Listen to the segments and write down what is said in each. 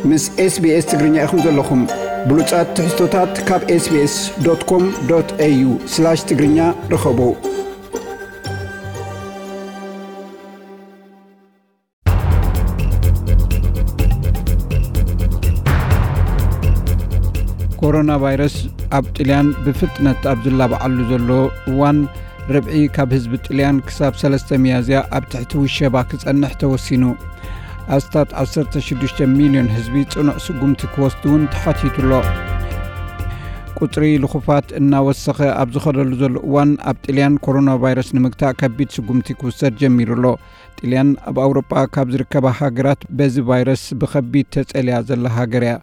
ምስ SBS ትግርኛ ኢኹም ዘለኹም። ብሉጻት ትሕዝቶታት ካብ SBS.com.au/ትግርኛ ርኸቡ። ኮሮና ቫይረስ ኣብ ጥልያን ብፍጥነት ኣብ ዝላባዓሉ ዘሎ እዋን፣ ርብዒ ካብ ህዝቢ ጥልያን ክሳብ ሰለስተ ሚያዝያ ኣብ ትሕቲ ውሸባ ክጸንሕ ተወሲኑ። ኣስታት ዓሰርተ ሽዱሽተ ሚልዮን ህዝቢ ጽኑዕ ስጉምቲ ክወስድ እውን ተሓቲቱ ኣሎ። ቁጽሪ ልኹፋት እናወሰኸ ኣብ ዝኸደሉ ዘሎ እዋን፣ ኣብ ጥልያን ኮሮና ቫይረስ ንምግታእ ከቢድ ስጉምቲ ክውሰድ ጀሚሩ ኣሎ። ጥልያን ኣብ ኣውሮጳ ካብ ዝርከባ ሃገራት በዚ ቫይረስ ብኸቢድ ተጸልያ ዘላ ሃገር እያ።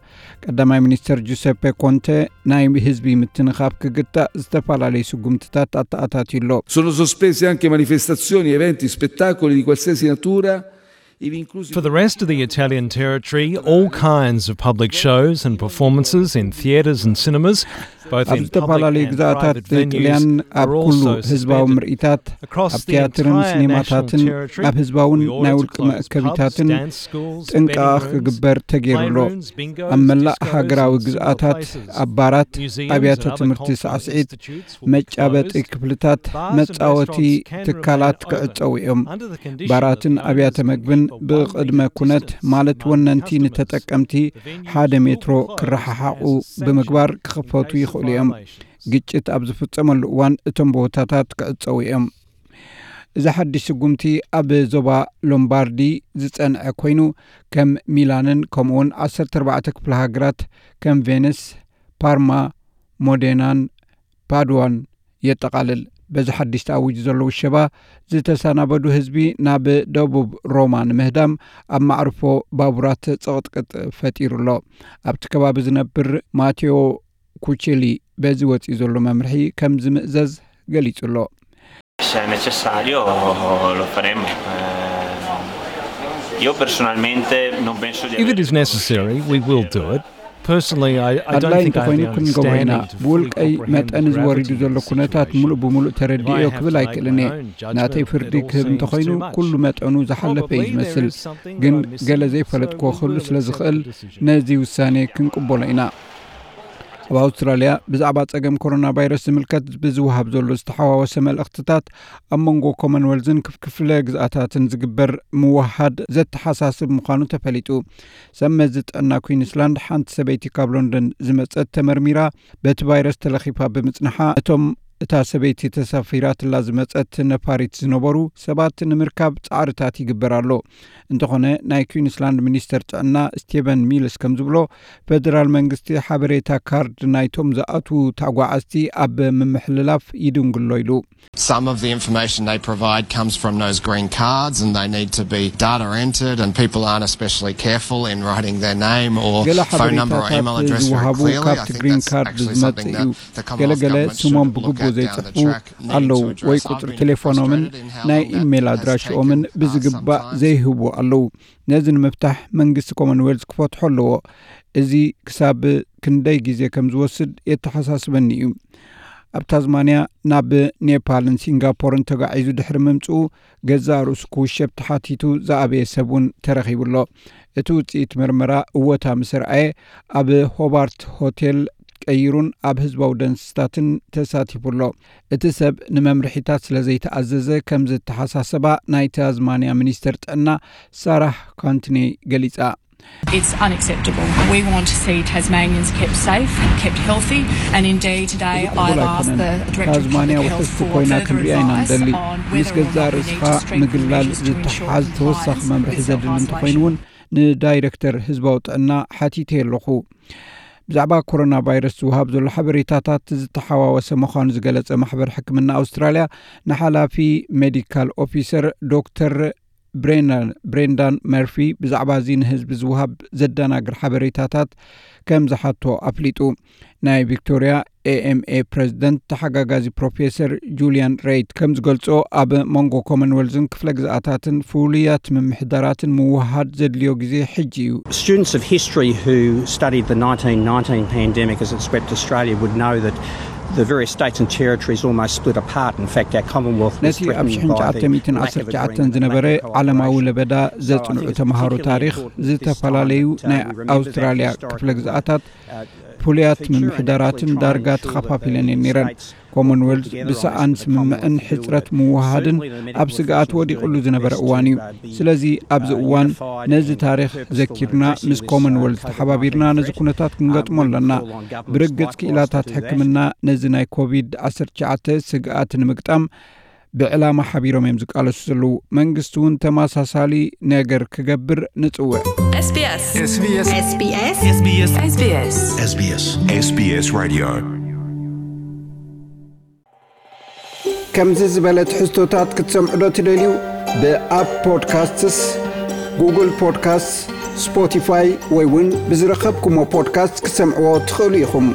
ቀዳማይ ሚኒስተር ጁሰፔ ኮንተ፣ ናይ ህዝቢ ምትንኻፍ ክግታእ ዝተፈላለዩ ስጉምትታት ኣተኣታትዩ ኣሎ። Sono sospesi anche manifestazioni, eventi, spettacoli di qualsiasi natura, ivi inclusi... For the rest of the Italian territory, all kinds of public shows and performances in theatres and cinemas, both ኣብ ዝተፈላለዩ ግዛኣታት ጥልያን ኣብ ኩሉ ህዝባዊ ምርኢታት፣ ኣብ ቲያትርን ሲኔማታትን ኣብ ህዝባውን ናይ ውልቂ መእከቢታትን ጥንቃቕ ክግበር ተገይሩ ኣሎ። ኣብ መላእ ሃገራዊ ግዝኣታት፣ ኣብ ባራት፣ ኣብያተ ትምህርቲ ሳዕስዒት፣ መጫበጢ ክፍልታት፣ መጻወቲ ትካላት ክዕጸዉ እዮም። ባራትን ኣብያተ መግብን ብቕድመ ኩነት፣ ማለት ወነንቲ ንተጠቀምቲ ሓደ ሜትሮ ክረሓሓቑ ብምግባር ክኽፈቱ ይኽእሉ እዮም። ግጭት ኣብ ዝፍጸመሉ እዋን እቶም ቦታታት ክዕጸዉ እዮም። እዚ ሓድሽ ስጉምቲ ኣብ ዞባ ሎምባርዲ ዝጸንዐ ኮይኑ፣ ከም ሚላንን ከምኡውን ዓሰርተ ኣርባዕተ ክፍለ ሃገራት ከም ቬነስ፣ ፓርማ፣ ሞዴናን ፓድዋን የጠቓልል። በዚ ሓድሽ ተኣዊጁ ዘሎ ውሸባ፣ ዝተሰናበዱ ህዝቢ ናብ ደቡብ ሮማ ንምህዳም ኣብ ማዕርፎ ባቡራት ጽቕጥቅጥ ፈጢሩ ኣሎ። ኣብቲ ከባቢ ዝነብር ማቴዎ ኩቼሊ፣ በዚ ወጺኡ ዘሎ መምርሒ ከም ዝምእዘዝ ገሊጹ ኣሎ። Se è necessario, lo faremo. Eh, io personalmente non penso di If it is necessary, we will do it. Personally, I, I don't ኣድላይ think I have እንተኾይኑ the ክንገብሮ ኢና። understanding to fully ብውልቀይ comprehend መጠን the እዚ ወሪዱ gravity ዘሎ of the ኩነታት situation. ምሉእ ብምሉእ ተረዲኤዮ If I have ክብል to make ኣይክእልን my እየ። own judgment, ናተይ it ፍርዲ all ክህብ seems እንተኾይኑ too much. ኩሉ መጠኑ ዝሓለፈ እዩ Probably there ዝመስል። is something ግን that I missed, ገለ so ዘይፈለጥክዎ we ክህሉ will ስለ look at ዝኽእል the decision. ነዚ ውሳኔ ክንቅበሎ ኢና። ኣብ ኣውስትራልያ ብዛዕባ ጸገም ኮሮና ቫይረስ ዝምልከት ብዝወሃብ ዘሎ ዝተሓዋወሰ መልእኽትታት፣ ኣብ መንጎ ኮመንዌልዝን ክፍ- ክፍለ ግዝኣታትን ዝግበር ምውሃድ ዘተሓሳስብ ምዃኑ ተፈሊጡ። ሰብ መዚ ጥዕና ኩዊንስላንድ፣ ሓንቲ ሰበይቲ ካብ ሎንደን ዝመጸት ተመርሚራ በቲ ቫይረስ ተለኺፋ ብምጽንሓ፣ እቶም እታ ሰበይቲ ተሳፊራትላ ዝመጸት ነፋሪት ዝነበሩ ሰባት ንምርካብ ጻዕርታት ይግበር ኣሎ። እንተኾነ፣ ናይ ኩዊንስላንድ ሚኒስተር ጥዕና ስቴቨን ሚልስ ከም ዝብሎ፣ ፈደራል መንግስቲ ሓበሬታ ካርድ ናይቶም ዝኣትዉ ተጓዓዝቲ ኣብ ምምሕልላፍ ይድንግሎ ኢሉ። Some of the information they provide comes from those green cards, and they need to be data entered, and people aren't especially careful in writing their name or ገለ phone number or email ሓበሬታታት address very ዝወሃቡ clearly. I ካብቲ think ግሪን that's ካርድ actually ዝመጽእ something እዩ። that the ገለ Commonwealth ገለ government should ስሞም have a look ብግቡእ at down the ዘይጽሕፉ track. Need ኣለዉ to address. ወይ I've ቁጽሪ been ቴሌፎኖምን frustrated in how ናይ long that ኢሜይል has ኣድራሽኦምን taken, uh, ብዝግባእ sometimes. ዘይህቡ ኣለዉ። ነዚ ንምፍታሕ መንግስቲ ኮመንዌልዝ ክፈትሖ ኣለዎ። እዚ ክሳብ ክንደይ ግዜ ከም ዝወስድ የተሓሳስበኒ እዩ። ኣብ ታዝማንያ ናብ ኔፓልን ሲንጋፖርን ተጋዒዙ ድሕሪ ምምጽኡ፣ ገዛእ ርእሱ ክውሸብ ተሓቲቱ ዝኣበየ ሰብ እውን ተረኺቡ ኣሎ። እቲ ውጽኢት ምርመራ እወታ ምስ ኣርኣየ፣ ኣብ ሆባርት ሆቴል ቀይሩን ኣብ ህዝባዊ ደንስታትን ተሳቲፉ ኣሎ። እቲ ሰብ ንመምርሒታት ስለ ዘይተኣዘዘ ከም ዝተሓሳሰባ ናይ ታዝማንያ ሚኒስተር ጥዕና ሳራህ ካንትኔ ገሊጻ። It's unacceptable. We want to see Tasmanians kept safe, kept healthy, and indeed today እዚ I've ቅቡል asked ኣይኮነን። the Director of ታዝማንያ Public Health ውሕስቲ for ኮይና further ክንሪኣ ኢና advice እንደሊ። on ምስ whether or ገዛእ not we need ርእስኻ to strengthen ምግላል measures to ensure ዝተሓዝ ተወሳኺ compliance መምርሒ with ዘድሊ self-isolation. እንተኾይኑ እውን ንዳይሬክተር ህዝባዊ ጥዕና ሓቲተ ኣለኹ። ብዛዕባ ኮሮና ቫይረስ ዝወሃብ ዘሎ ሓበሬታታት ዝተሓዋወሰ ምዃኑ ዝገለጸ ማሕበር ሕክምና ኣውስትራልያ፣ ንሓላፊ ሜዲካል ኦፊሰር ዶክተር ብሬንዳን መርፊ ብዛዕባ እዚ ንህዝቢ ዝወሃብ ዘደናግር ሓበሬታታት ከም ዝሓቶ ኣፍሊጡ። ናይ ቪክቶርያ ኤኤምኤ ፕሬዚደንት ተሓጋጋዚ ፕሮፌሰር ጁልያን ሬይት ከም ዝገልጾ፣ ኣብ መንጎ ኮመንዌልዝን ክፍለ ግዝኣታትን ፍሉያት ምምሕዳራትን ምውሃድ ዘድልዮ ግዜ ሕጂ እዩ። Students of history who studied the nineteen nineteen pandemic as it swept Australia would know that The various states and territories almost split apart. In fact, our Commonwealth was ነቲ ኣብ threatened by the lack of a green ሽሕን ትሽዓተ ሚእትን ዓሰርተ ትሽዓተ ዝነበረ ዓለማዊ ለበዳ ዘጽንዑ ተምሃሮ ታሪኽ ዝተፈላለዩ ናይ ኣውስትራልያ ክፍለ ግዝኣታት ፍሉያት ምምሕዳራትን ዳርጋ ተኸፋፊለን እየን ነይረን። ኮመንወልዝ ብሰኣን ስምምዕን ሕፅረት ምውሃድን ኣብ ስግኣት ወዲቕሉ ዝነበረ እዋን እዩ። ስለዚ ኣብዚ እዋን ነዚ ታሪኽ ዘኪርና ምስ ኮመንወልዝ ተሓባቢርና ነዚ ኩነታት ክንገጥሞ ኣለና። ብርግጽ ክኢላታት ሕክምና ነዚ ናይ ኮቪድ ዓሰርተ ትሽዓተ ስግኣት ንምግጣም ብዕላማ ሓቢሮም እዮም ዝቃለሱ ዘለዉ። መንግስቲ እውን ተመሳሳሊ ነገር ክገብር ንጽውዕ። SBS SBS SBS SBS SBS SBS SBS Radio. ከምዚ ዝበለ ትሕዝቶታት ክትሰምዑ ዶ ትደልዩ? ብኣፕ ፖድካስትስ፣ ጉግል ፖድካስትስ፣ ስፖቲፋይ ወይ እውን ብዝረኸብኩሞ ፖድካስት ክትሰምዕዎ ትኽእሉ ኢኹም።